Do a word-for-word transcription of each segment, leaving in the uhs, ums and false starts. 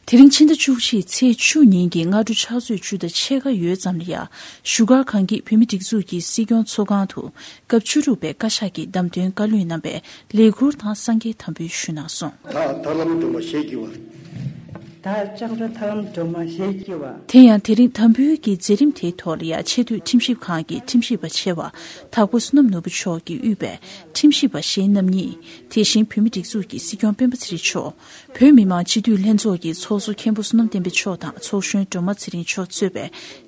དེ་རིང་ཕྱི་ཟླ་བཅུ་གཅིག་ཚེས་བཅུ་ཉིན་གྱི་སྔ་དྲོ་ཕྱག་ཚོད་བཅུ་དང་ཕྱེད་ཀ་ཡོལ་ཙམ་ལ་ཡ། བཞུགས་སྒར་ཁང་གི་བོད་མིའི་སྒྲིག་འཛུགས་ཀྱི་སྲིད་སྐྱོང་ཚོགས་ཁང་དུ་སྐབས་བཅུ་དྲུག་པའི་བཀའ་ཤག་གི་བདམས་ཐོན་བཀའ་བློན་རྣམ་པས་ལས་འཁུར་དང་སངས་རྒྱས་དམ་འབུལ་ཞུས་གནང་སོང་། བདག་ཐར་ལམ་སྒྲོལ་མ་ཞེས་བགྱི་བ། བདག་ལྕང་ར་ཐར་ལམ་སྒྲོལ་མ་ཞེས་བགྱི་བ། དེ་ཡང་དེ་རིང་དམ་འབུལ་གྱི་མཛད་རིམ་དེའི་ཐོག་ལ་ཡ་ཆེས་མཐོའི་ཁྲིམས་ཞིབ་ཁང་གི་ཁྲིམས་ཞིབ་པ་ཆེ་བ་དྭགས་པོ་བསོད་ནམས་ནོར་བུ་མཆོག་གིས་དབུས་པའི་ཁྲིམས་ཞིབ་པ་གཞན་རྣམ་གཉིས། དེ་བཞིན་བོད་མིའི་སྒྲིག་འཛུགས་ཀྱི་སྲིད་སྐྱོང་སྤེན་པ་ཚེ་རིང་མཆོག་བོད་མི་མང་སྤྱི་འཐུས་ལྷན་ཚོགས་ཀྱི་ཚོགས་གཙོ་མཁན་པོ་བསོད་ནམས་བསྟན་འཕེལ་མཆོག་དང་ཚོགས་གཞོན་སྒྲོལ་མ་ཚེ་རིང་མཆོག་གཙོས་པའི་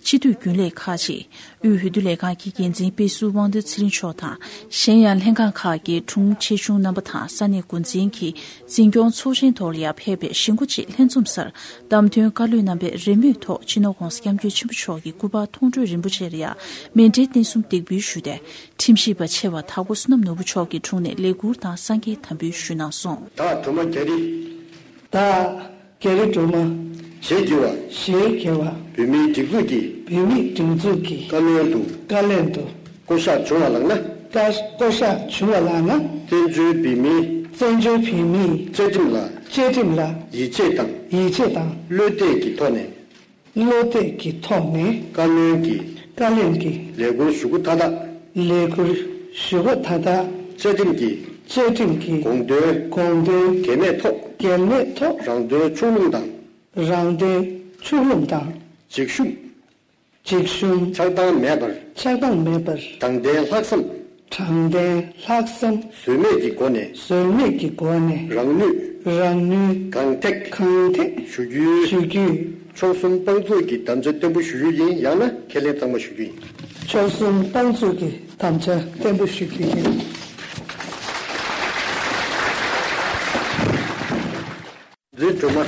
སྤྱི་འཐུས་རྒྱུན་ལས་ཁག་ཅིག་དབུས་འོས་བསྡུ་ལས་ཁང་གི་འགན་འཛིན་དཔེ་ཟུར་དབང་འདུས་ཚེ་རིང་མཆོག་དང་། གཞན་ཡང་ལྷན་ཁང་ཁག་གི་དྲུང་ཆེ་ཆུང་རྣམ་པ་དང་ས་གནས་འགོ་འཛིན་གྱི་འཛིན་སྐྱོང་ཚོགས་ཆེན་ཐོག་ལ་ཡ་ཕེབས་པའི་གཞིས་འགོ་ཆེ་ལྷན་འཛོམས་སར་བདམས་ཐོན་བཀའ་བློན་རྣམ་པས་རེས་མོས་ཐོག་སྤྱི་ནོར་༧གོང་ས་༧སྐྱབས་མགོན་ཆེན་པོ་མཆོག་གི་སྐུ་པར་མཐོང་གྲོལ་རིན་པོ་ཆེ་ལ་ཡ་མཎྜལ་རྟེན་གསུམ་འདེགས་འབུལ་ཞུས་ཏེ། ཁྲིམས་ཞིབ་པ་ཆེ་བ་དྭགས་པོ་བསོད་ནམས་ནོར་བུ་མཆོག་གི་དྲུང་ནས་ལས་འཁུར་དང་སངས་རྒྱས་དམ་འབུལ་ཞུས་གནང་སོང་། བདག་སྒྲོལ་མ་རྒྱ་རི། བདག་རྒྱ་རི་སྒྲོལ་མ། ཞེས་བགྱི་བ། ཞེས་བགྱི་བ། བོད་མིའི་སྒྲིག་འཛུགས་ཀྱི། བོད་མིའི་སྒྲིག་འཛུགས་ཀྱི། བཀའ་བློན་དུ། བཀའ་བློན་དུ། བསྐོ་གཞག་བྱུང་བ་ལགས་ན། བཀའ་བསྐོ་གཞག་བྱུང་བ་ལགས་ན། བཙན་བྱོལ་བོད་མིའི། བཙན་བྱོལ་བོད་མིའི། བཅའ་ཁྲིམས་ལ། བཅའ་ཁྲིམས་ལ། ཡིད་ཆེས་དང་། ཡིད་ཆེས་དང་། བློ་གཏད་ཀྱི་ཐོག་ནས། བློ་གཏད་ཀྱི་ཐོག་ནས། བཀའ་བློན་གྱི། བཀའ་བློན་གྱི། ལས་འཁུར་ཞུ་སྒོ་མཐའ་དག་ལས་འཁུར་ཞུ་སྒོ་མཐའ་དག་བཅའ་ཁྲིམས་ཀྱི། བཅའ་ཁྲིམས་ཀྱི། དགོངས་དོན། དགོངས་དོན། འགལ་མེད་ཐོག་འགལ་མེད་ཐོག་རང་དོན་ཕྱོགས་ལྷུང་དང་། རང་དོན་ཕྱོགས་ལྷུང་དང་། འཇིགས་ཞུམ། འཇིགས་ཞུམ། ཆགས་སྡང་མེད་པར། ཆགས་སྡང་མེད་པར། དྲང་བདེན་ལྷག་བསམ། དྲང་བདེན་ལྷག་བསམ། ཟོལ་མེད་ཀྱི་སྒོ་ནས། ཟོལ་མེད་ཀྱི་སྒོ་ནས། རང་ནུས། རང་ནུས། གང་ཐེག་གང་ཐེག་ཞུ་རྒྱུའི། ཞུ་རྒྱུའི། མཆོག་གསུམ་དཔང་བཙུགས་ཀྱི་དམ་བཅའ་བརྟན་པོ་ཞུ་རྒྱུ་ཡིན། ཡང་ན་ཁས་ལེན་གཙང་མ་ཞུ་རྒྱུ་ཡིན། མཆོག་གསུམ་དཔང་བཙུགས་ཀྱི་དམ་བཅའ་བརྟན་པོ་ཞུ་རྒྱུ་ཡིན། རེད་སྒྲོལ་མ།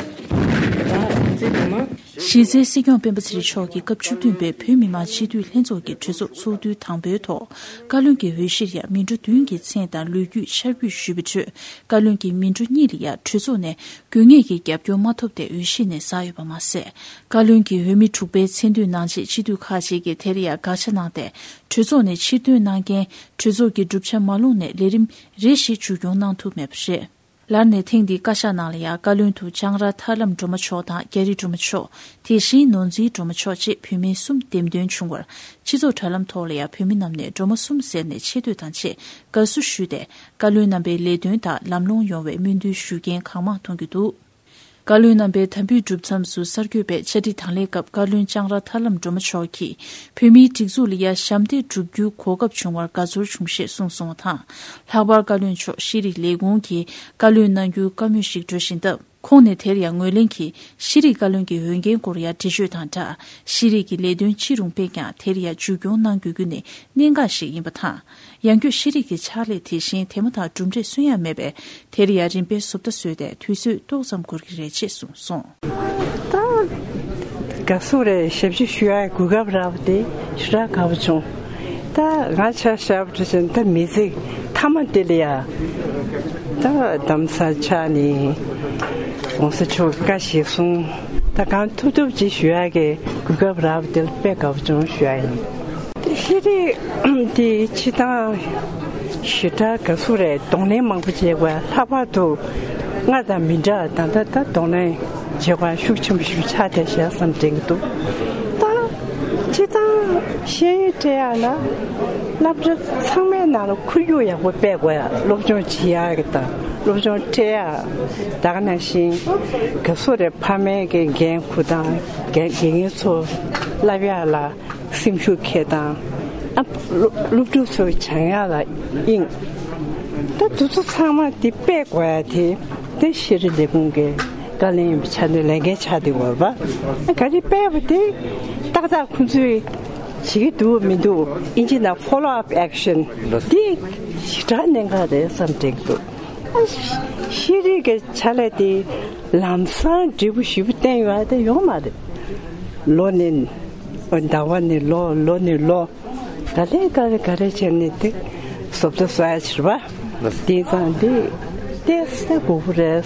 རེད་སྒྲོལ་མ། གཞི་རྩའི་སྲིད་སྐྱོང་སྤེན་པ་ཚེ་རིང་མཆོག་གིས་སྐབས་བཅུ་བདུན་པའི་བོད་མི་མང་སྤྱི་འཐུས་ལྷན་ཚོགས་ཀྱི་གྲོས་ཚོགས་ཚོགས་དུས་དང་པོའི་ཐོག་བཀའ་བློན་གྱི་འོས་གཞིར་ཡང་མི་འགྲོ་བདུན་གྱི་མཚན་དང་ལོ་རྒྱུས་འཆར་འབུལ་ཞུས་པའི་ཁྲོད། བཀའ་བློན་གྱི་མི་འགྲོ་གཉིས་ལ་ཡང་གྲོས་ཚོགས་ནས་དགོས་ངེས་ཀྱི་རྒྱབ་སྐྱོར་མ་ཐོབ་སྟེ་འོས་གཞི་ནས་ཟགས་ཡོད་པ་མ་ཟད། བཀའ་བློན་གྱི་འོས་མི་དྲུག་པའི་མཚན་འདོན་གནང་ཆེད་སྤྱི་འཐུས་ཁག་ཅིག་གིས་དེར་ཡང་དགག་བྱ་གནང་སྟེ། གྲོས་ཚོགས་ནས་ཕྱིར་འདོན་གནང་རྐྱེན། གྲོས་ཚོགས་ཀྱི་གྲུབ་ཆ་མ་ལོངས་ནས་ལས་རིམ་རེ་ཞིག་མཇུག་སྐྱོང་གནང་ཐུབ་མེད་པ་རེད། ལར་ནས་ཐེངས་འདིའི་བཀའ་ཤག་ནང་ལ་ཡང་བཀའ་བློན་དུ་ལྕང་ར་ཐར་ལམ་སྒྲོལ་མ་མཆོག་དང་རྒྱ་རི་སྒྲོལ་མ་མཆོག་དེ་བཞིན་ནོར་འཛིན་སྒྲོལ་མ་མཆོག་བཅས་བོད་མི་གསུམ་འདེམས་ཐོན་བྱུང་བར། སྤྱི་ཚོགས་དྲ་ལམ་ཐོག་ལ་ཡང་བོད་མི་རྣམས་ནས་སྒྲོལ་མ་གསུམ་ཟེར་ནས་ཆེ་བསྟོད་དང་བཅས་དགའ་བསུ་ཞུས་ཏེ། བཀའ་བློན་རྣམ་པའི་ལས་དོན་དག་ལམ་ལྷོང་ཡོང་བའི་སྨོན་འདུན་ཞུ་མཁན་གང་མང་མཐོང་རྒྱུ་འདུག་བཀའ་བློན་རྣམ་པའི་དམ་འབུལ་གྲུབ་མཚམས་སུ་གསར་འགོད་པས་བཅར་འདྲི་དང་ལེན་སྐབས། བཀའ་བློན་ལྕང་ར་ཐར་ལམ་སྒྲོལ་མ་མཆོག་གིས། བོད་མིའི་སྒྲིག་འཛུགས་ལ་ཡ་ཞབས་འདེགས་བསྒྲུབ་རྒྱུའི་གོ་སྐབས་བྱུང་བར་དགའ་ཚོར་བྱུང་ཞེས་གསུངས་སོང་བ་དང་། ལྷག་པར་བཀའ་བློན་མཆོག་ཤེས་རིག་ལས་ཁུངས་ཀྱིས་བཀའ་བློན་གནང་རྒྱུའི་བཀའ་མོལ་ཞིག་འགྲོ་བཞིན་སྟབས། ཁོང་ནས་དེར་ཡང་ངོས་ལེན་གྱིས། ཤེས་རིག་བཀའ་བློན་གྱི་འོས་འགན་སྐོར་ཡང་འགྲེལ་བརྗོད་དང་སྦྲགས། ཤེས་རིག་གི་ལས་དོན་ཅི་རུང་སྤེལ་ཀྱང་དེར་ཡང་མཇུག་སྐྱོང་གནང་དགོས་རྒྱུ་ནི་གནད་འགག་ཞིག་ཡིན་པ་དང་། ཡང་སྒོས་ཤེས་རིག་གི་ཕྱག་ལས་དེ་བཞིན་དེ་མ་ཐག་གྲུབ་འབྲས་སོན་ཡ་མེད་པས། དེར་ཡང་རིམ་པས་བཟོ་ལྟ་བཟོས་ཏེ་དུས་ཚོད་ཏོག་ཙམ་འགོར་གྱི་རེད་ཅེས་གསུངས་སོང་། ད་དགའ་བསུ་རེད། ཞབས་ཕྱི་ཞུ་ཡ་གོ་སྐབས་རག་པ་དེ་ཞེ་དྲག་དགའ་པོ་བྱུང་། ད་ང་ཆ་བཞག་པ་བྱས་ན་ད་མི་ཚེ་མཐའ་མ་དེ་ལ་ཡ་ད་གདམ་ས་ཆགས་ནས་༧གོང་ས་མཆོག་བཀའ་ཞིག་གསུངས། ད་གང་ཐུབ་ཐུབ་ཅིག་ཞུ་ཡ་གི་གོ་སྐབས་རག་པ་དེ་ལ་དཔེ་དགའ་པོ་བྱུང་ཞུ་ཡ་ཡིན། ཤེས་རིག་དེ་སྤྱིར་བཏང་ཞེ་དྲག་དགའ་བསུ་རེད། གདོང་ལེན་མང་པོ་བྱས་པ། ལྷག་པར་དུ་སྔར་དང་མི་འདྲ། ད་ལྟ་ད་གདོང་ལེན་བྱེད་སྒོ་ཤུགས་ཆེན་པོ་ཞིག་ཆགས་བསྡད་ཤག་བསམ་དྲན་གྱི་འདུག་ད་སྤྱིར་བཏང་ཤེས་ཡོན་སྤྲད་ཡག་ལ་སློབ་གྲྭ་ཚང་མའི་ནང་ལ་ཁོར་ཡུག་ཡག་པོ་སྤེལ་དགོས་ཡ། སློབ་སྦྱོང་བྱེད་ཡག་གི་དང་སློབ་སྦྱོང་སྤྲད་ཡག་ད་ག་ནང་བཞིན་དགའ་བསུ་རེད། ཕ་མའི་གི་འགན་འཁུར་དང་དགེ་རྒན་ཚོ་བསླབ་ཡག་ལ། སེམས་ཤུགས་འཁྱེར་དང་། ཨ། སློབ་སློབ་ཕྲུག་ཚོའི་སྦྱང་ཡག་ལ་དབྱིངས། ད་དེ་ཚོ་ཚང་མ་དེ་སྤེལ་དགོས་ཡ་དེ། དེ་ཤེས་རིག་ལས་ཁུངས་ཀྱི་བཀའ་བློན་ཡིན་པའི་ཆ་ནས་ལས་འགན་ཆགས་བསྡད་ཡོད་རེད་པ། ཨ། ག་རེ་སྤེལ་བ་དེ་ཏག་ཏག་ཁོང་ཚོས་བྱེད་ཀྱི་འདུག་མི་འདུག་ཨིན་ཇི་ནང་follow up action དེ་ཞེ་དྲག་གནད་འགག་རེད་བསམ་དྲན་གྱི་འདུག་ཤེས་རིག་གི་ཕྱག་ལས་དེ་ལམ་སང་འབྲས་བུ་ཞེ་པོ་བསྟན་ཡོད་དེ་ཡོད་མ་རེད། ལོ་ནས་ཟླ་བ་ནས་ལོ། ལོ་ནས་ལོ། ག་ལེ་ག་ལེ་ག་རེ་བྱས་ནས་དེ་བཟོ་ལྟ་བཟོ་ཡ་ཕྱིར་བ། དེང་སང་འདི་ཏོག་ཙམ་དགོས་པོ་རེད་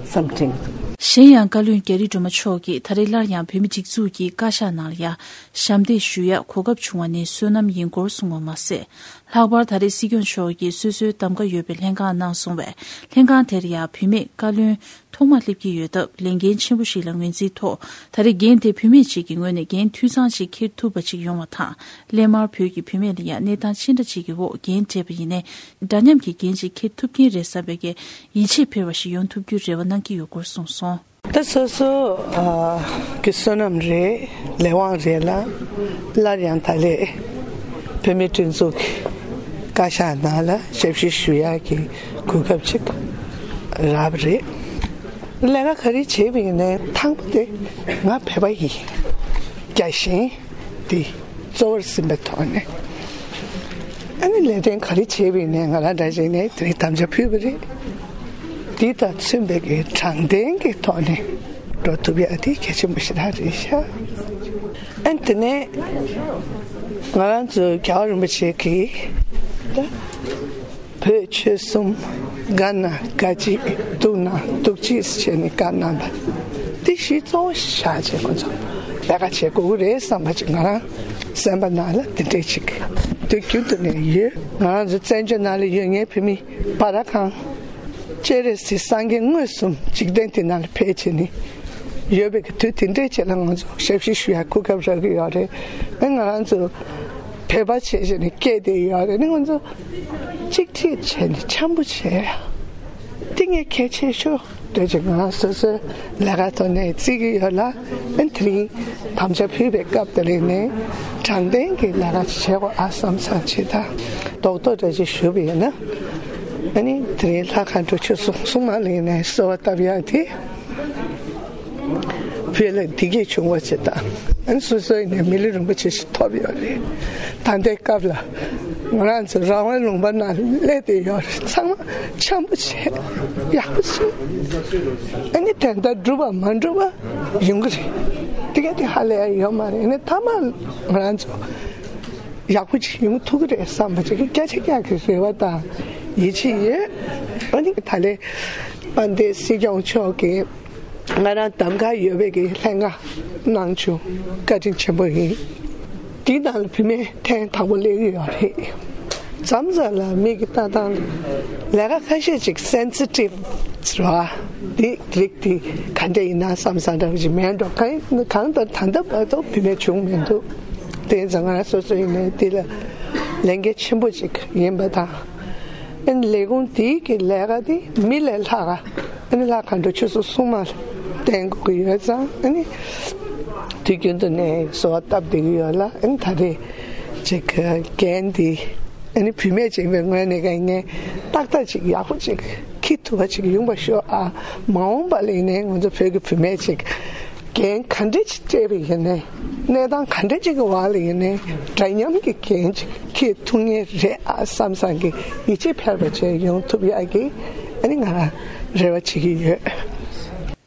བསམ་དྲན། གཞན་ཡང་བཀའ་བློན་རྒྱ་རི་སྒྲོལ་མ་མཆོག་གིས་ད་རེས་སླར་ཡང་བོད་མིའི་སྒྲིག་འཛུགས་ཀྱི་བཀའ་ཤག་ནང་ལ་ཡ་ཞབས་འདེགས་ཞུ་ཡ་གོ་སྐབས་བྱུང་བ་ནི་བསོད་ནམས་ཡིན་སྐོར་གསུངས་པ་མ་ཟད། ལྷག་པར་ད་རེས་སྲིད་སྐྱོང་མཆོག་གིས་སོ་སོའི་གདམ་ག་ཡོད་པའི་ལྷན་ཁང་གནང་སོང་བས། ལྷན་ཁང་དེར་ཡང་བུད་མེད་བཀའ་བློན་ཐོག་མ་སླེབས་ཀྱི་ཡོད་སྟབས། ལས་འགན་ཆེན་པོ་ཞིག་ལ་ངོས་འཛིན་ཐོག་ད་རེས་འགན་དེ་བུད་མེད་ཅིག་གི་ངོས་ནས་འགན་འཐུས་ཚང་ཞིག་འཁྱེར་ཐུབ་པ་ཅིག་ཡོང་བ་དང་། སླད་མར་བོད་ཀྱི་བུད་མེད་ལ་ཡང་གནས་སྟངས་ཅི་འདྲ་ཅིག་གི་འོག་འགན་སྤྲད་པ་ཡིན་ནའི། འདྲ་མཉམ་གྱི་འགན་ཅིག་འཁྱེར་ཐུབ་ཀྱིན་རེད་བསམ་པའི་གི་ཡིད་ཆེས་འཕེར་བ་ཞིག་ཡོང་ཐུབ་རྒྱུའི་རེ་བ་གནང་གི་ཡོད་སྐོར་གསུངས་སོང་། ད་སོ་སོ་ཨ་གི་བསོད་ནམས་རེད། ལས་དབང་རེད་ལ། སླར་ཡང་ད་ལས་བུད་མེད་སྒྲིག་འཛུགས་ཀྱི་བཀའ་ཤག་ནང་ལ་ཞབས་ཞུ་ཞུ་ཡག་གི་གོ་སྐབས་ཅིག་རག་པ་རེད། ལས་ཀ་ག་རེ་བྱེད་པ་ཡིན་ནའི་དང་པོ་དེ་ང་བོད་པ་ཡིན། རྒྱལ་ཞེན་དེ་གཙོ་བོར་ཟིན་པའི་ཐོག་ནས། ཨ་ནི་ལས་དོན་ག་རེ་བྱེད་པ་ཡིན་ནའི་ང་རང་འདྲ་བྱས་ནས་དེ་རིང་དམ་བཅའ་ཕུལ་བ་རེད། འདི་དང་མཚུངས་པའི་གི་དྲང་བདེན་གྱི་ཐོག་ནས་འགྲོ་ཐུབ་ཡག་དེ་གལ་ཆེན་པོ་ཞེ་དྲག་རེད་ཤག་ཨ་ནི་དེ་ནས་ང་རང་ཚོ་རྒྱལ་བ་རིན་པོ་ཆེ་གིས་ད་བོད་ཆོལ་གསུམ་དགའ་ན་དགའ་གཅིག་སྡུག་ན་སྡུག་གཅིག་བྱས་ནས་བཀའ་གནང་བ་དེ་གཞི་གཙོ་བོ་བཞག་བྱས་ཁོ་ཚོ་ལས་ཀ་བྱེད་དགོས་ཀྱི་རེད་བསམ་པ་ཅིག་ང་རང་སེམས་པ་ནང་ལ་དེ་འདྲས་ཅིག་དུས་རྒྱུན་དུ་ནས་ཡོད། ང་རང་ཚོ་བཙན་བྱོལ་ནང་ལ་ཡོད་མཁན་བོད་མི་བར་ཁང་སྤྱན་རས་གཟིགས་སངས་རྒྱས་མངོན་སུམ་འཇིག་རྟེན་འདི་ནང་ལ་ཕེབས་བྱས་ནས་ཡོད་པའི་གི་དུས་དེ་འདྲའི་ཆེད་ལ་ང་ཚོ་ཞབས་ཕྱི་ཞུ་ཡག་གོ་སྐབས་རག་གི་ཡོད་རེད། ཨ་ང་རང་ཚོ་བོད་པ་བྱས་བྱས་ནས་སྐད་བསྡད་ཡོད་རེད། ཨ་ང་ཚོ་གཅིག་སྒྲིལ་བྱས་ནས་འཆམ་པོ་བྱས་ཡ་དེ་ངས་གལ་ཆེ་ཤོས་འདོད་ཅིག་ང་རང་སོ་སོའི་ལས་ཀ་ཐོག་ནས་བརྩི་གི་ཡོད་ལ། ཨ་དེ་རིང་དམ་བཅའ་ཕུལ་བའི་སྐབས་དེ་ལ་ནས་དྲང་བདེན་གྱི་ལས་ཀ་བྱེད་དགོས་ཨ་བསམ་བསམ་བྱེད་ད་རྡོག་རྡོག་འདྲ་ཅིག་ཞུ་བ་ཡིན་ན། ཨ་ནི་དེ་རིང་ལྷ་མཁའ་འགྲོ་ཆོས་གསུང་གསུང་མ་ལ་ཡིན་ནས་གསོལ་བ་བཏབ་ཡག་དེ། བོད་ལ་བདེ་སྐྱིད་བྱུང་བ་ཞིག་དང་། ཨ་ནི་སོ་སོ་ཡིན་ནའི་མི་ལུས་རིན་པོ་ཆེ་ཞིག་ཐོབ་ཡོད་རེད། ད་ལྟའི་སྐབས་ལ་ང་རང་ཚོ་རང་དབང་ལུང་པ་ནང་སླེབས་བསྡད་ཡོད་རེད། ཚང་མ་འཆམ་པོ་བྱས་ཡག་པོ་བྱས། ཨ་ནི་དེ་འདྲ་འགྲུབ་པ་མ་འགྲུབ་པ་ཡོང་གི་རེད། དེ་ག་དེ་ཧ་ལས་ཡོད་མ་རེད། ཨ་ནི་མཐའ་མ་ང་རང་ཚོ་ཡག་པོ་ཅིག་ཡོང་ཐུབ་ཀྱི་རེད་བསམ་པ་ཅིག་སྐད་ཆ་རྒྱག་གི་རེ་བ་དང་ཡིད་ཆེས་ཡོད། ཨ་ནི་ད་ལས་དཔལ་ལྡན་སྲིད་སྐྱོང་མཆོག་གིས་ང་རང་གདམ་ག་ཡོད་པའི་གི་ལྷན་ཁང་གནང་བྱུང་། བཀའ་དྲིན་ཆེན་པོ་ཡིན། དེའི་ནང་ལ་བུད་མེད་ཐེངས་དང་པོ་སླེབས་ཀྱི་ཡོད་རེད། མཚམས་མཚམས་ལ་མི་གི་ལྟ་སྟངས་ལ་ལས་ཀ་ཁ་ཤས་ཅིག་སེན་སི་ཊིབ་རེད་བ། དེ་རིགས་དེ་ག་འདྲ་ཡིན་ན་བསམ་བསམ་འདྲ་བ་ཅིག་མེད་འགྲོ། གང་གང་ལྟར་ད་ལྟ་བར་དུ་བུད་མེད་བྱུང་མི་འདུག་དེ་ཙང་ང་རང་སོ་སོ་ཡིན་ནའི་དེ་ལ་ལས་འགན་ཆེན་པོ་ཅིག་ཡིན་པ་དང་། ཨ་ནི་ལས་ཁུངས་དེའི་གི་ལས་ཀ་དེ་མི་ལས་ལྷག་ག་ཨ་ནི་ལྷ་མཁའ་འགྲོ་ཆོས་གསུང་གསུང་མ་ལ་བརྟེན་དགོས་ཀྱི་ཡོད་ཙང་། ཨ་ནི་དུས་རྒྱུན་དུ་ནས་གསོལ་བ་བཏབ་བསྡད་ཀྱི་ཡོད་ལ། ཨ་ནི་ད་རེས་ཅིག་འགན་དེ་ཨ་ནི་བུད་མེད་ཅིག་ཡིན་པའི་ངོས་ནས་ཀྱང་ངས་ཏག་ཏག་ཅིག་ཡག་པོ་ཅིག་འཁྱེར་ཐུབ་པ་ཅིག་ཡོང་བ་ཤོག་ཨ། མ་འོངས་པ་ལ་ཡིན་ནའི་ང་ཚོ་བོད་ཀྱི་བུད་མེད་ཅིག་འགན་ག་འདྲ་ཅིག་སྤྲད་པ་ཡིན་ནའི། གནས་སྟངས་ག་འདྲ་ཅིག་གི་འོག་ལ་ཡིན་ནའི་འདྲ་མཉམ་གྱི་འགན་ཅིག་འཁྱེར་ཐུབ་ངེས་རེད་ཨ་བསམ་བསམ་གྱི་ཡིད་ཆེས་འཕེར་བ་བྱས་ཡོང་ཐུབ་ཡག་གི་ཨ་ནི་ང་རང་རེ་བ་བྱེད་ཀྱི་ཡོད།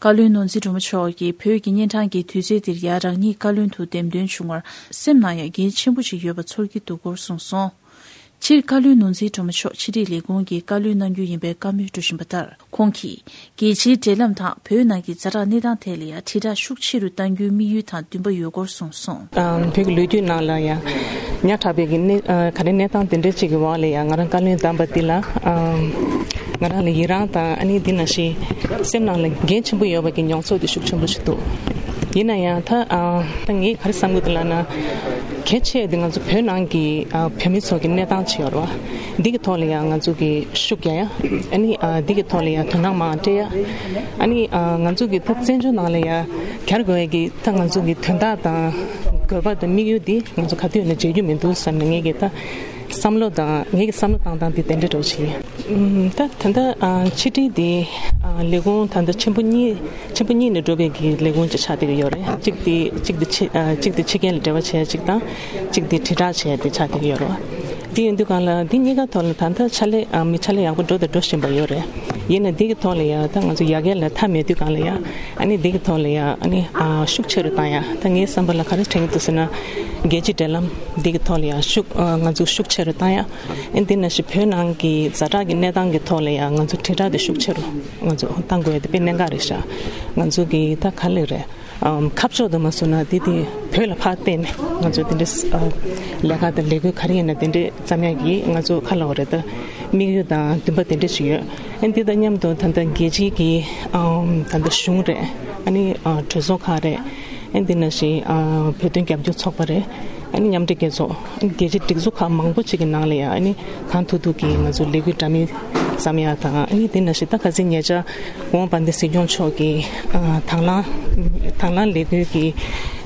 བཀའ་བློན་ནོར་འཛིན་སྒྲོལ་མ་མཆོག་གིས་བོད་ཀྱི་གཉན་འཕྲང་གི་དུས་ཚོད་འདིར་ཡང་རང་ཉིད་བཀའ་བློན་དུ་འདེམས་ཐོན་བྱུང་བར་སེམས་ནང་ཡང་འགན་ཆེན་པོ་ཞིག་ཡོད་པ་ཚོར་གྱི་འདུག་སྐོར་གསུངས་སོང་། སྤྱིར་བཀའ་བློན་ནོར་འཛིན་སྒྲོལ་མ་མཆོག་ཕྱི་དྲིལ་ལས་ཁུངས་ཀྱི་བཀའ་བློན་གནང་རྒྱུ་ཡིན་པའི་བཀའ་མོལ་འགྲོ་བཞིན་པ་ལྟར། ཁོང་གིས་རྒྱལ་སྤྱིའི་འབྲེལ་ལམ་དང་བོད་ནང་གི་ཛ་དྲག་གནས་སྟངས་ཐད་ལ་ཡང་དྲིལ་བསྒྲགས་ཤུགས་ཆེ་རུ་གཏང་རྒྱུའི་དམིགས་ཡུལ་དང་འདུན་པ་ཡོད་སྐོར་གསུངས་སོང་། ཨམ། བོད་ཀྱི་ལོ་རྒྱུས་ནང་ལ་ཡང་ཉག་ཕྲ་བའི་གི་གནས། ཨ། ག་རེ་གནས་སྟངས་དེ་འདྲ་ཅིག་གི་འོག་ལ་ཡང་ང་རང་བཀའ་བློན་བདམས་པ་འདི་ལ། ཨམ། ང་རང་ལ་ཡི་རང་དང་ཨ་ནི་འདི་ནང་བཞིན་སེམས་ནང་ལ་འགན་ཆེན་པོ་ཡོད་པ་གི་མྱོང་ཚོར་དེ་ཤུགས་ཆེན་པོ་ཞིག་འདུག་ཡིན་ན་ཡང་ད། ཨ། ད་ངས་ག་རེ་བསམ་གི་འདུག་ལབ་ན། གལ་ཆེ་དེ་ང་ཚོ་བོད་ནང་གི། ཨ། བོད་མི་ཚོ་གི་གནས་སྟངས་ཅིག་ཡོད་རེད་བ། འདི་གི་ཐོག་ལ་ཡང་ང་ཚོ་གི་ཤུགས་རྒྱག་ཡ། ཨ་ནི། ཨ། འདི་གི་ཐོག་ལ་ཡང་དོ་སྣང་མང་སྤྲད་ཡ། ཨ་ནི། ཨ། ང་ཚོ་གི་ད་བཙན་བྱོལ་ནང་ལ་ཡང་གྱར་དགོས་ཡ་གི་ད་ང་ཚོ་གི་དོན་དག་དང་དགོས་པ་དང་དམིགས་ཡུལ་འདི་ང་ཚོ་ག་དུས་ནས་བརྗེད་རྒྱུ་མི་འདུག་བསམ་ནས་ངེད་ཀྱི་ད་བསམ་བློ་དང་ངེད་ཀྱི་བསམ་བློ་བཏང་སྟངས་འདི་དེ་འདྲ་འདྲ་བོ་ཞིག་ཡིན། ཨམ། ད་ད་ལྟ། ཨ། ཕྱི་དྲིལ་འདི། ཨ། ལས་ཁུངས་ད་ལྟ་ཆེན་པོ་གཉིས། ཆེན་པོ་གཉིས་ནས་གྲུབ་པའི་གི་ལས་ཁུངས་ཅིག་ཆགས་བསྡད་ཀྱི་ཡོད་རེད། གཅིག་དེ་གཅིག་དེ་ཕྱི། ཨ། གཅིག་དེ་ཕྱི་རྒྱལ་ལ་འབྲེལ་བ་བྱེད་ཡ་གཅིག་དང་། གཅིག་དེ་དྲིལ་བསྒྲགས་བྱེད་ཡ་དེ་ཆགས་བསྡད་ཀྱི་ཡོད་རེད་བ། དེ་ཡིན་དུས་སྒང་ལ་འདི་གཉིས་ཀ་ཐོག་ལ་ད་ལྟ་ཕྱག་ལས། ཨ། མི་ཕྱག་ལས་ཡག་པོ་འགྲོ་དང་འགྲོ་བཞིན་པ་ཡོད་རེད། ཡིན་ན་འདི་གི་ཐོག་ལ་ཡ་ད་ང་ཚོ་ཡ་གྱལ་ལ་མཐའ་མེད་དུས་སྒང་ལ་ཡ། ཨ་ནི་འདི་གི་ཐོག་ལ་ཡ། ཨ་ནི། ཨ། ཤུགས་ཆེ་རུ་བཏང་ཡ། ད་ངའི་བསམ་པ་ལ་ག་རེ་དྲན་གྱི་འདུག་ཟེར་ན། རྒྱལ་སྤྱིའི་འབྲེལ་ལམ་འདི་གི་ཐོག་ལ་ཡ་ཤུགས། ཨ། ང་ཚོ་ཤུགས་ཆེ་རུ་བཏང་ཡ། ཨ་ནི་འདི་ནང་བཞིན་བོད་ནང་གི་ཛ་དྲག་གི་གནས་སྟངས་ཀྱི་ཐོག་ལ་ཡ་ང་ཚོ་དྲིལ་བསྒྲགས་དེ་ཤུགས་ཆེ་རུ་ང་ཚོ་བཏང་དགོས་ཡ་དེ་དཔེ་གནད་འགག་རེད་ཤག་ང་ཚོ་གི་ད་ག་ལེར་རེད། ཨམ། ཁ་ཕྱོགས་དུ་མ་སོང་ན་དེ་དེ་བོད་ལ་ཕར་བལྟས་ནས་ང་ཚོ་དེ་འདྲའི་ཨ་ལས་ཀ་དང་ལས་འགུལ་ག་རེ་ཡིན་ན་དེ་འདྲའི་བརྩམ་ཡག་གི་ང་ཚོ་ཁ་ལ་འོ་རེད་ད། དམིགས་ཡུལ་དང་འདུན་པ་དེ་འདྲ་ཞིག་ཡོད། ཨ་ནི་དེ་དང་མཉམ་དུ་ད་ལྟ་རྒྱལ་སྤྱིའི་གི་ཨམ། ད་ལྟ་གཞུང་རེད། ཨ་ནི་ཨ་གྲོས་ཚོགས་ཁག་རེད། ཨ་ནི་དེ་ནང་བཞིན་ཨ་བོད་དོན་རྒྱབ་སྐྱོར་ཚོགས་པ་རེད། ཨ་ནི་མཉམ་འབྲེལ་རྒྱལ་ཚོགས། ཨ་ནི་རྒྱལ་སྤྱིའི་སྒྲིག་འཛུགས་ཁག་མང་པོ་ཅིག་གི་ནང་ལ་ཡང་ཨ་ནི་གང་ཐུབ་ཐུབ་ཀྱིས་ང་ཚོ་ལས་འགུལ་འདྲ་མིན་བརྩམ་ཡག་དང་། ཨ་ནི་དེ་ནང་བཞིན་ད་ག་ཚོད་ཉེ་ཆར་ཝང་བན་དེ་སྲིད་སྐྱོང་མཆོག་གིས་ཨ་དང་བླངས་དང་བླངས་ལས་འགུལ་གྱི་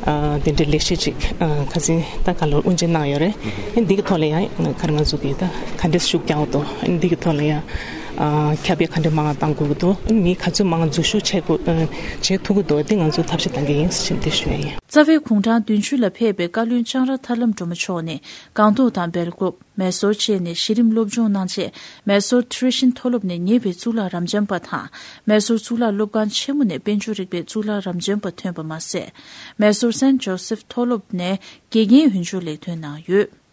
ཨ་དེ་འདྲའི་ལས་གཞི་ཅིག་ཨ་ག་ཚོད་ད་ག་ལོར་དབུ་འབྱེད་གནང་ཡོད་རེད། ཨ་ནི་འདི་གི་ཐོག་ལ་ཡང་ག་རེ་ང་ཚོ་གིས་ད་ག་འདྲས་ཤུགས་རྒྱག་འདུག་ཨ་ནི་འདི་གི་ཐོག་ལ་ཡང་ཨ་ཁྱབ་སྤེལ་ག་འདྲས་མང་བ་གཏང་དགོས་ཀྱི་འདུག་ཨ་ནི་མི་ག་ཚོད་མང་འཛུལ་ཞུགས་བྱེད་དགོས་ཨ་བྱེད་ཐུབ་ཀྱི་འདུག་འདི་ང་ཚོས་ཐབས་ཤེས་གཏང་གི་ཡིན་ཞེས་འདི་ཞུ་ཡ་ཡིན། རྩ་བའི་གུང་ཁྲན་བདུན་ཅུ་ལ་ཕེབས་པའི་བཀའ་བློན་ལྕང་ར་ཐར་ལམ་སྒྲོལ་མ་མཆོག་ནས་སྒང་ཏོག་དང་སྦེལ་ཀོབ། མེ་སོར་བཅས་ནས་གཞི་རིམ་སློབ་སྦྱོང་གནང་རྗེས། མེ་སོར་ཊི་རེ་ཤིན་མཐོ་སློབ་ནས་ཉེ་བའི་གཙུག་ལག་རབ་འབྱམས་པ་དང་། མེ་སོར་གཙུག་ལག་སློབ་ཁང་ཆེན་མོ་ནས་དཔལ་འབྱོར་རིག་པའི་གཙུག་ལག་རབ་འབྱམས་པ་ཐོན་པ་མ་ཟད། མེ་སོར་སེན་ཇོ་སེབ་མཐོ་སློབ་ནས་དགེ་རྒན་འོས་སྦྱོར་ལས་ཐོན་གནང་ཡོད།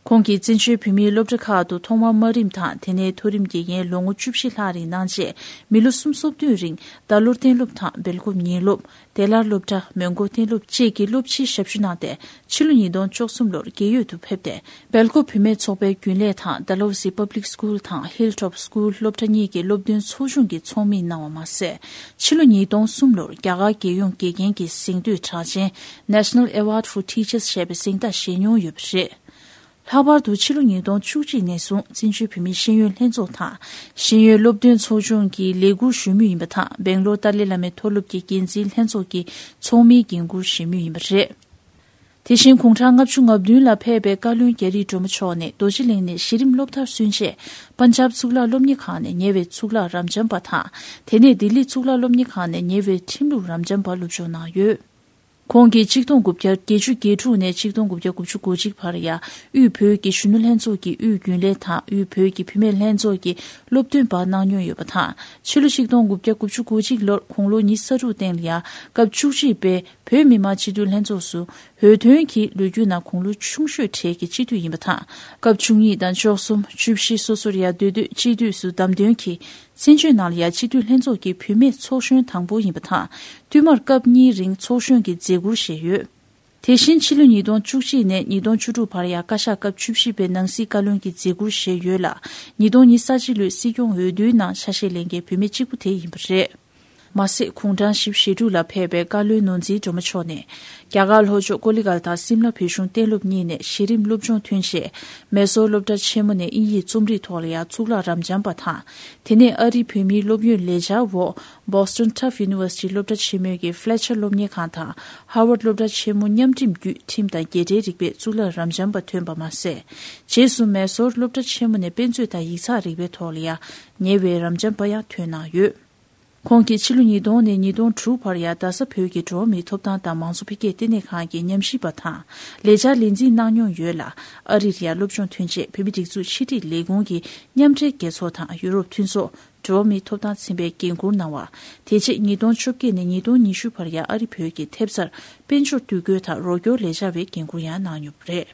ཁོང་གིས་བཙན་བྱོལ་བོད་མིའི་སློབ་གྲྭ་ཁག་ཏུ་ཐོག་མར་དམའ་རིམ་དང་དེ་ནས་མཐོ་རིམ་དགེ་རྒན་ལོ་ངོ་བཅུ་བཞི་ལྷག་རིང་གནང་རྗེས། མི་ལོ་སུམ་ཅུ་སོ་བདུན་རིང་རྡ་རླུང་གཏན་སློབ་དང་སྦེལ་ཀོབ་ཉིན་སློབ། བདེ་སླར་སློབ་གྲྭ། མོན་གྷོ་གཏན་སློབ་བཅས་ཀྱི་སློབ་ཕྱིའི་ཞབས་ཞུ་གནང་སྟེ། ཕྱི་ལོ་ཉིས་སྟོང་བཅུ་གསུམ་ལོར་རྒས་ཡོལ་དུ་ཕེབས་ཏེ། སྦེལ་ཀོབ་བུད་མེད་ཚོགས་པའི་རྒྱུན་ལས་དང་ཌལ་ཧོ་སི་Public School དང་Hilltop School སློབ་གྲྭ་གཉིས་ཀྱི་སློབ་སྟོན་ཚོགས་ཆུང་གི་ཚོགས་མི་གནང་བ་མ་ཟད། ཕྱི་ལོ་ཉིས་སྟོང་གསུམ་ལོར་རྒྱ་གར་རྒྱལ་ཡོངས་དགེ་རྒན་གྱི་གཟེངས་བསྟོད་གྲགས་ཅན་National Award for Teachers ཞེས་པའི་གཟེངས་རྟགས་བཞེས་མྱོང་ཡོད་པ་རེད། ལྷག་པར་དུ་ཕྱི་ལོ་ཉིས་སྟོང་བཅུ་གཅིག་ནས་བཟུང་བཙན་བྱོལ་བོད་མིའི་ཤེས་ཡོན་ལྷན་ཚོགས་དང་། ཤེས་ཡོན་སློབ་སྟོན་ཚོགས་ཆུང་གི་ལས་འཁུར་ཞུ་མུས་ཡིན་པ་དང་། སྦེང་ལོར་ཏཱ་ལའི་བླ་མའི་མཐོ་སློབ་ཀྱི་འགན་འཛིན་ལྷན་ཚོགས་ཀྱི་ཚོགས་མིའི་འགན་འཁུར་བཞེས་མུས་ཡིན་པ་རེད། དེ་བཞིན་གུང་ཁྲན་ལྔ་བཅུ་ང་བདུན་ལ་ཕེབས་པའི་བཀའ་བློན་རྒྱ་རི་སྒྲོལ་མ་མཆོག་ནས་རྡོ་རྗེ་གླིང་ནས་གཞི་རིམ་སློབ་མཐར་སོན་རྗེས། པན་ཇབ་གཙུག་ལག་སློབ་གཉེར་ཁང་ནས་ཉེ་བའི་གཙུག་ལག་རབ་འབྱམས་པ་དང་། དེ་ནས་ལྡི་ལི་གཙུག་ལག་སློབ་གཉེར་ཁང་ནས་ཉེ་བའི་ཁྲིམས་ལུགས་རབ་འབྱམས་པ་སློབ་སྦྱོང་གནང་ཡོད། ཁོང་གིས་ཆིག་སྟོང་དགུ་བརྒྱ་བརྒྱད་ཅུ་གྱ་དྲུག་ནས་ཆིག་སྟོང་དགུ་བརྒྱ་དགུ་བཅུ་གོ་གཅིག་བར་ཡང་དབུས་བོད་ཀྱི་གཞོན་ནུ་ལྷན་ཚོགས་ཀྱི་དབུས་རྒྱུན་ལས་དང་དབུས་བོད་ཀྱི་བུད་མེད་ལྷན་ཚོགས་ཀྱི་སློབ་སྟོན་པ་གནང་མྱོང་ཡོད་པ་དང་། ཕྱི་ལོ་ཆིག་སྟོང་དགུ་བརྒྱ་དགུ་བཅུ་གོ་གཅིག་ལོར་དགུང་ལོ་ཉི་ཤུ་རྩ་དྲུག་སྟེང་ལ་ཡང་སྐབས་བཅུ་གཅིག་པའི་བོད་མི་མང་སྤྱི་འཐུས་ལྷན་ཚོགས་སུ་འོས་ཐོན་གྱིས་ལོ་རྒྱུས་ནང་དགུང་ལོ་ཆུང་ཤོས་གྲས་ཀྱི་སྤྱི་འཐུས་ཡིན་པ་དང་། སྐབས་བཅུ་གཉིས་དང་བཅུ་གསུམ། བཅུ་བཞི་སོ་སོར་ཡང་སྡོད་དུས་སྤྱི་འཐུས་སུ་བདམས་ཐོན་གྱིས། བཙན་བྱོལ་ནང་ལ་ཡང་སྤྱི་འཐུས་ལྷན་ཚོགས་ཀྱི་བུད་མེད་ཚོགས་གཞོན་དང་པོ་ཡིན་པ་དང་། བསྟུད་མར་སྐབས་གཉིས་རིང་ཚོགས་གཞོན་གྱི་མཛད་ཁུར་བཞེས་ཡོད། དེ་བཞིན་ཕྱི་ལོ་ཉིས་སྟོང་བཅུ་གཅིག་ནས་ཉིས་སྟོང་བཅུ་དྲུག་བར་ཡང་བཀའ་ཤག་སྐབས་བཅུ་བཞི་པའི་ནང་སྲིད་བཀའ་བློན་གྱི་མཛད་ཁུར་བཞེས་ཡོད་ལ། ཉིས་སྟོང་ཉི་ཤུ་རྩ་གཅིག་ལོའི་སྲིད་སྐྱོང་འོས་བསྡུའི་ནང་ཆ་ཤས་ལེན་མཁན་བུད་མེད་གཅིག་པུ་དེ་ཡིན་པ་རེད། མ་ཟད་གུང་ཁྲན་ཞེ་དྲུག་ལ་ཕེབས་པའི་བཀའ་བློན་ནོར་འཛིན་སྒྲོལ་མ་མཆོག་ནས། རྒྱ་གར་ལྷོ་ཕྱོགས་ཀོ་ལི་གྷལ་དང་སིམ་ལ་བོད་གཞུང་གཏན་སློབ་གཉིས་ནས་གཞི་རིམ་སློབ་སྦྱོང་ཐོན་རྗེས། མེ་སོར་སློབ་གྲྭ་ཆེན་མོ་ནས་དབྱིན་ཡིག་རྩོམ་རིག་ཐོག་ལ་ཡང་གཙུག་ལག་རབ་འབྱམས་པ་དང་། དེ་ནས་ཨ་རིའི་བོད་མིའི་སློབ་ཡོན་ལས་འཆར་འོག་Boston Tufts University སློབ་གྲྭ་ཆེན་མོའི་གི་Fletcher སློབ་གཉེར་ཁང་དང་Harvard སློབ་གྲྭ་ཆེན་མོ་མཉམ་འབྲེལ་བརྒྱུད་ཁྲིམས་དང་རྒྱལ་ཁྲལ་རིག་པའི་གཙུག་ལག་རབ་འབྱམས་པ་ཐོན་པ་མ་ཟད། རྗེས་སུ་མེ་སོར་སློབ་གྲྭ་ཆེན་མོ་ནས་དཔེ་མཛོད་དང་ཡིག་ཚགས་རིག་པའི་ཐོག་ལ་ཡང་ཉེ་བའི་རབ་འབྱམས་པ་ཡང་ཐོན་གནང་ཡོད། ཁོང་གིས་ཕྱི་ལོ་ཉིས་སྟོང་ནས་ཉིས་སྟོང་དྲུག་བར་ཡང་རྡ་ས་བོད་ཀྱི་འགྲོ་བ་མིའི་ཐོབ་ཐང་དང་མང་གཙོ་འཕེལ་རྒྱས་ལྟེ་གནས་ཁང་གི་ཉམས་ཞིབ་པ་དང་ལས་འཆར་ལས་འཛིན་གནང་མྱོང་ཡོད་ལ། ཨ་རིར་ཡང་སློབ་སྦྱོང་ཐོན་རྗེས་བོད་མིའི་སྒྲིག་འཛུགས་ཕྱི་དྲིལ་ལས་ཁུངས་ཀྱི་མཉམ་འབྲེལ་རྒྱལ་ཚོགས་དང་ཡུ་རོབ་མཐུན་ཚོགས་འགྲོ་བ་མིའི་ཐོབ་ཐང་ཚན་པའི་འགན་འཁུར་གནང་བ། དེ་རྗེས་ཉིས་སྟོང་བཅོ་བརྒྱད་ནས་ཉིས་སྟོང་ཉི་ཤུ་བར་ཡང་ཨ་རི་བོད་ཀྱི་ཐེབས་རྩར་དཔལ་འབྱོར་དུས་འགོད་དང་རོགས་སྐྱོར་ལས་འཆར་བའི་འགན་འཁུར་ཡང་གནང་མྱོང་བ་རེད།